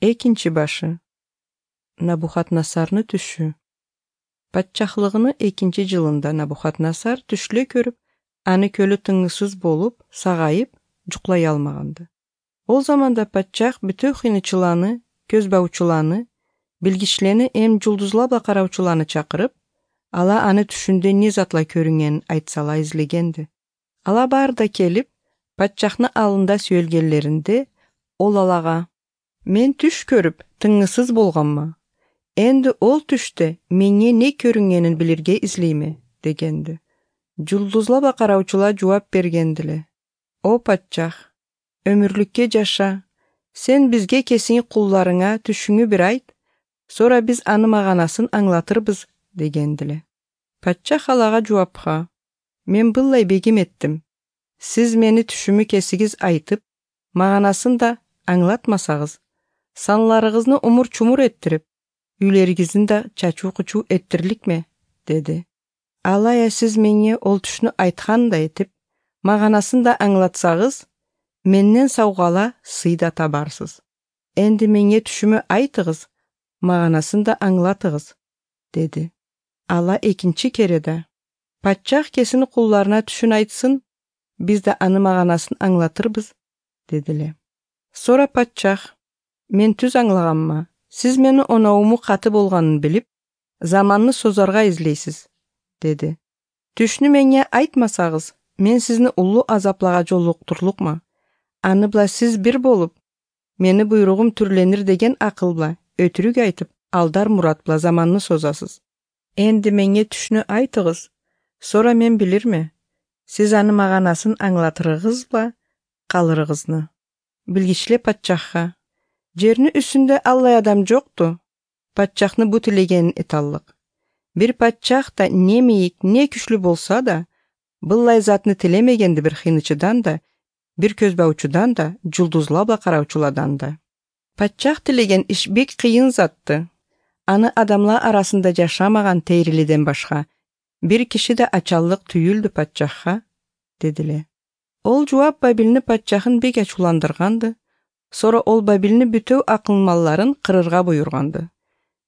Экинчи башы. Набухаднасарны түшү. Патчахлыгынын 2-жылында Набухаднасар түшлө көрүп, аны көлү тыңысыз болуп, сагайып, жуклай алмаганды. Ол заманда патчах бүтө хыйнычыланы, көз баучуланы, билгичлени жулдузларга караучуланы чакырып, ала аны түшүндө не затла көрүнгенин айтсала излегенди. Ала баары да келип, патчахны алында сөйлгенлеринде, ол алага: "Мен түш көрүп, тыңысыз болгонмун. Энди ол түштө менге не көрүнгенин билирге излейме" дегенди. Жулдузларга караучулар жооп бергендиле: "О патчах, өмүрлүккө жаша. Сен бизге кесиңи кулларыңа түшүңү бир айт, сора биз аны маганасын аңлатырбыз" дегендиле. Патчах алага жоопка: "Мен былай бегим еттим. Сиз мени түшүмү кесигиз айтып, маганасын да аңлатмасагыз, саналарыңызды умур-чумур эттирип, үйлөрүңүздү да чачуу-кучуу эттирликме" деди. "Алая сиз менге ол түшнү айткандай этип, маганасын да аңлатсагыз, менден саугала сый да табарсыз. Энди менге түшүмү айтыңыз, маганасын да аңлатыңыз" деди. Ала экинчи кереде: "Патчах кесини кулларына түшүн айтсын, биз да аны маганасын аңлатырбыз" дедиле. Сора патчах: "Мен түз аңлаганмын. Сиз мени оноуму каты болгонун билип, заманны созорго излейсиз" деди. "Түшнү менге айтмасагыз, мен сизни улуу азапларга жолуктурлукмун. Аны бла сиз бир болуп, мени буйругум түрленир деген акылбла өтүрүк айтып, алдар мурат бла заманны созасыз. Энди менге түшнү айтыңыз, сора мен билирме, сиз аны маганасын аңлатырыгызбы, калырыгызны" Билгичле патчахка: "Жердин үстүндө аллай адам жокту. Патчахны бу тилегенин эталлык. Бир патчах да не мейик, не күчлүү болса да, былай затны тилемегенди бир хыйнычыдан да, бир көз баучудан да, жулдузларга караучулардан да. Патчах тилеген иш бек кыйын затты. Аны адамлар арасында жашамаган Тейрилиден башка бир киши да ачалык түйүлдү патчахка" дедиле. Ол жооп Бабилни патчахын бек ачууландырганды. Сора ол Бабилни бүтөө акылмалларын кырырга буйруганды.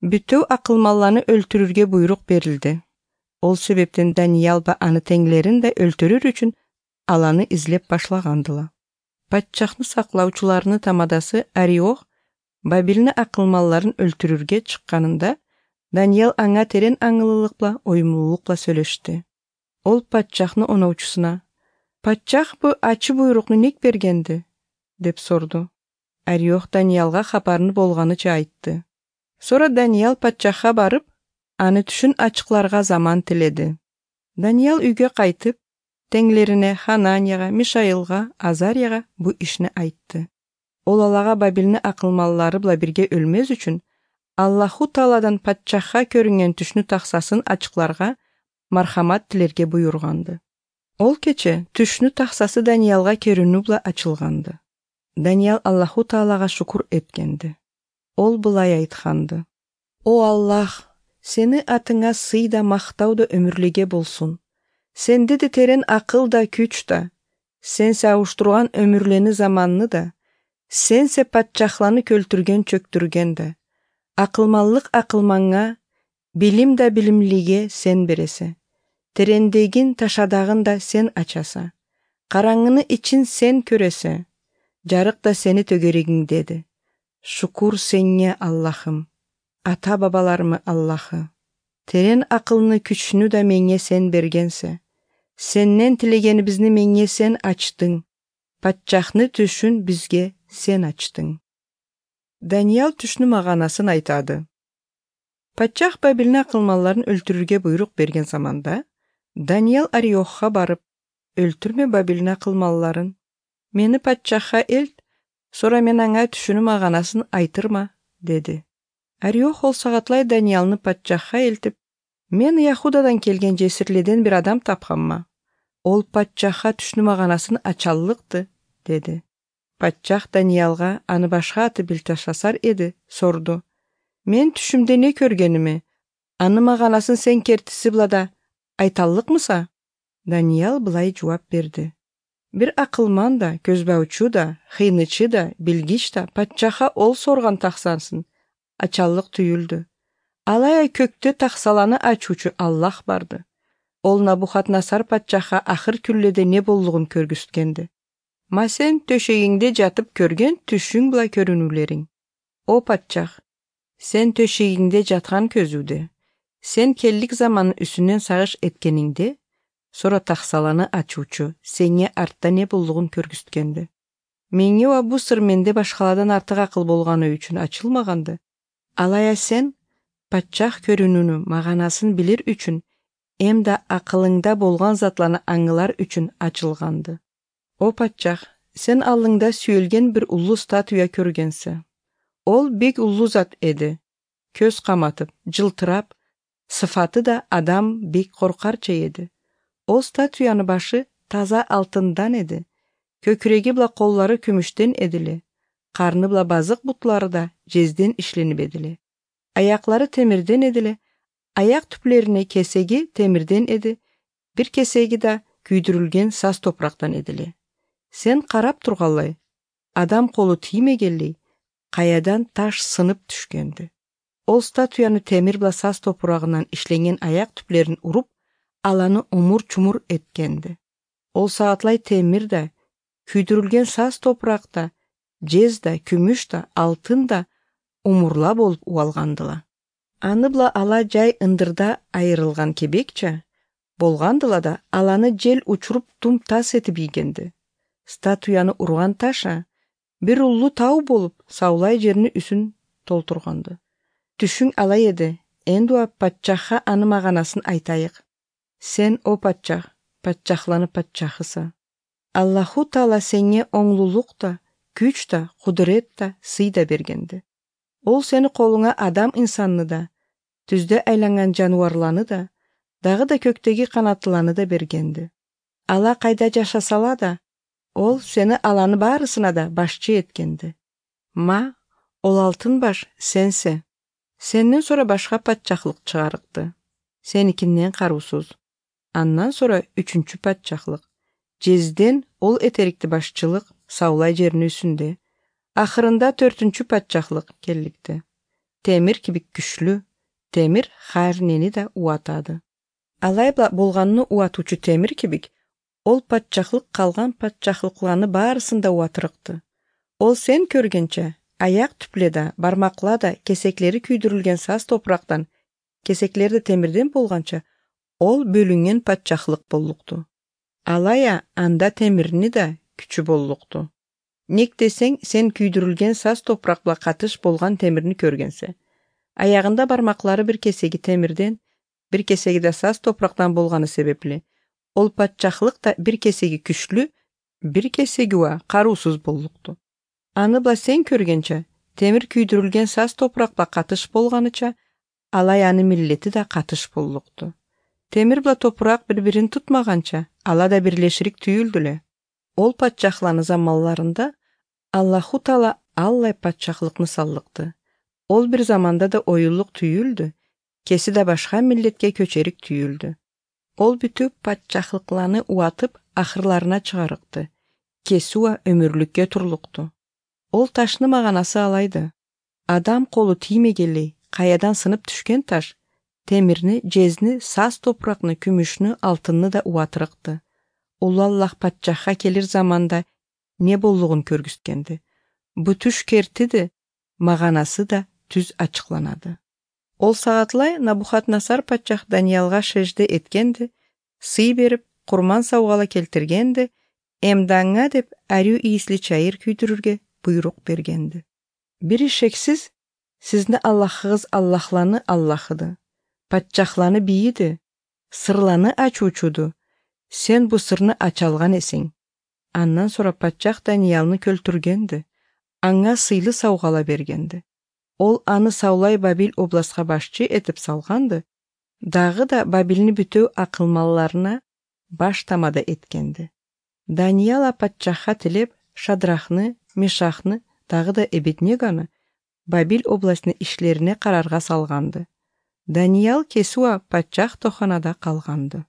Бүтөө акылмалланы өлтүрүүгө буйрук берилди. Ол себептен Даниэл ба аны теңлерин да өлтүрүр үчүн аланы излеп башлагандыла. Патчахны саклаучуларынын тамадасы Ариох Бабилни акылмалларын өлтүрүүгө чыкканында, Даниэл аңа терен аңылылыкла, оюмлуулукла сүйлөштү. Ол патчахны оноучусуна: "Патчах бу ачы буйрукну ник бергенди?" деп сорду. Ариох Даниэлга кабарын болгонуча айтты. Сора Даниэл патчахка барып, аны түшүн ачыкларга заман тиледи. Даниэл үйгө кайтып, теңлерине Хананияга, Мишаилга, Азарияга бу ишни айтты. Ол алага Бабилни акылмаллары бла бирге өлмөс үчүн Аллаху Тааладан патчахка көрүнгөн түшнү таксасын ачыкларга мархамат тилерге буйруганды. Ол кече түшнү таксасы Даниэлга көрүнүү бла ачылганды. Даниэл Аллаху Таалага шукур эткенди. Ол былай айтканды: "О Аллах, сени атыңа сый да мактау да өмүрлүгө болсун. Сенде де терен акыл да күч да. Сенсе ауштурган өмүрлени заманны да. Сенсе патчахланы көлтүргөн чөктүргөн да. Акылмаллык акылманга, билим да билимлиге сен бересе. Терендегин ташадагын да сен ачаса. Караңгыны ичин сен көрөсө. Жарык да сени төгөрөгүңдеди. Шукур сенге Аллахым, ата бабаларымы Аллахы. Терен акылны күчүнү да менге сен бергенсе. Сенден тилегенибизни менге сен ачтың. Патчахны түшүн бизге сен ачтың." Даниэл түшнү маганасын айтады. Патчах Бабилни акылмалларын өлтүрүүгө буйрук берген заманда, Даниэл Ариохка барып: "Өлтүрмө Бабилни акылмалларын. Мени патчахка элт, сора мен аңа түшүнү маганасын айтырма" деди. Ариох ол сагатлай Даниэлни патчахка элтип: "Мен Яхудадан келген жесирледен бир адам тапканмын. Ол патчахка түшүнү маганасын ачаллыкты" деди. Патчах Даниэлга аны башка Белтешассар эди сорду: "Мен түшүмдө не көргөнүмө? Аны маганасын сен кертиси булада айталлыкмыса?" Даниэл былай жооп берди: Бир акылман да, көзбаучу да, хыйнычы да, билгич да патчаха ол сорган таксансын. Ачаллык түйүлдү. Алай көктө таксаланы ачуучу Аллах барды. Ол Набухат-Насар патчаха ахыр күлледе не боллугун көргүзгенди. Ма сен төшегиңде жатып көргөн түшүң була көрүнүүлөрүң. О патчах, сен төшегиңде жаткан көзүдө, сен келлик заманын үстүнөн сагыш эткениңде, сора таксаланы ачуучу сеңе артта не боллугун көргүзгенди. Меңе ва бу сыр менде башкалардан артык акыл болгону үчүн ачылмаганды. Алая сен патчах көрүнүүнүн маганасын билир үчүн, эмда акылыңда болгон затланы аңылар үчүн ачылганды. О патчах, сен алыңда сүйөлген бир улуу статуя көргөнсү. Ол бек улуу зат эди. Көз каматып, жылтырап, сыфаты да адам бек коркарча эди. Ол статуянын башы таза алтындан эди. Көкүрөги була коллары күмүштөн эдиле. Карны була базык бутлары да жезден иштенип эдиле. Аяклары темирден эдиле. Аяк түплөрүнө кесеги темирден эди. Бир кесеги да күйдүрүлгөн саз топурактан эдиле. Сен карап тургалай, адам колу тиймегенлей, каядан таш сынып түшкөндү. Ол статуяны темир була саз топурагынан ишленген аяк түплөрүн уруп, аланы умур-чумур эткенди. Ол саатлай темир да, күйдүрүлгөн саз топуракта, жез да, күмүш да, алтын да умурла болуп уалгандыла. Аны була ала жай ындырда айырылган кебекче болгандыла да, аланы жел учуруп тум тас этип ийгенди. Статуяны урган таша бир улуу тау болуп, саулай жерини үсүн толтурганды. Түшүң алай эди. Энди патчаха аны маганасын айтайык. Сен, о патчах, патчахланы патчахыса. Аллаху Таала сеңе оңлулук да, күч да, кудурет да, сый да бергенди. Ол сени колуңа адам инсанны да, түздө айланган жануарланы да, дагы да көктөгү канаттыланы да бергенди. Ала кайда жашасала да, ол сени аланы баарысына да башчы эткенди. Ма, ол алтын баш сенсе. Сенден сора башка патчахлык чыгарыкты. Сеникинден каруусуз. Андан сора үчүнчү патчахлык. Жезден ол этерикти башчылык саулай жеринин үстүндө. Акырында 4-чү патчахлык келдикти. Темир кибик күчлүү, темир харнени да уатады. Алай болгонуну уатуучу темир кибик, ол патчахлык калган патчахлыкларны баарысын да уатырыкты. Ол сен көргөнчө, аяк түпледа, бармаклада кесеклери күйдүрүлгөн саз топурактан, кесеклери да темирден болганча, ол бөлүнгөн патчахлык болукту. Алая анда темирни да күчү болукту. Ник десең, сен күйдүрүлгөн саз топуракла катыш болгон темирни көргөнсө. Аягында бармаклары бир кесеги темирден, бир кесеги да саз топурактан болгону себепле, ол патчахлык да бир кесеги күчлүү, бир кесеги каруусуз болукту. Аны сен көргөнчө, темир күйдүрүлгөн саз топуракла катыш болгонуча, алай аны миллети да катыш болукту. Темир топурак бири-бирин тутмаганча, ала да бирлеширик түйүлдүлө. Ол патчахланы заманларында Аллаху Таала аллай патчахлыкны саллыкты. Ол бир заманда да оюлук түйүлдү, кеси да башка миллетке көчөрүк түйүлдү. Ол бүтүп патчахлыкланы уатып ахырларына чыгарыкты. Кесуа өмүрлүккө турлукту. Ол ташны маганасы алайды. Адам колу тиймегенлей, каядан сынып түшкөн таш, темирни, жезни, саз топуракны, күмүшнү, алтынны да уатырыкты. Улуу Аллах патчахка келир заманда не боллугун көргүзгенди. Бу түш кертиди, маганасы да түз ачыкланады. Ол саатлай Набухат-Насар патчах Даниялга шежде эткенди, сый берип, курман саугала келтиргенди, эмдаңа деп арю ийисли чайыр күйдүрүргө буйрук бергенди. Бири шексиз, сизни Аллахыгыз Аллахланы Аллахыды, патчахланы бийиди, сырланы ачуучуду, сен бу сырны ача алган эсиң. Андан сора патчах Даниялны көлтүргенди, аңа сыйлы саугала бергенди. Ол аны Саулай Бабил областка башчы этип салганды, дагы да Бабилни бүтөө акылмалларына баш тамада эткенди. Данияла патчахка тилеп Шадрахны, Мешахны, дагы да Эбеднеганы Бабил областынын ишлерине карарга салганды. Даниял Кесуа патчах тоханада калганды.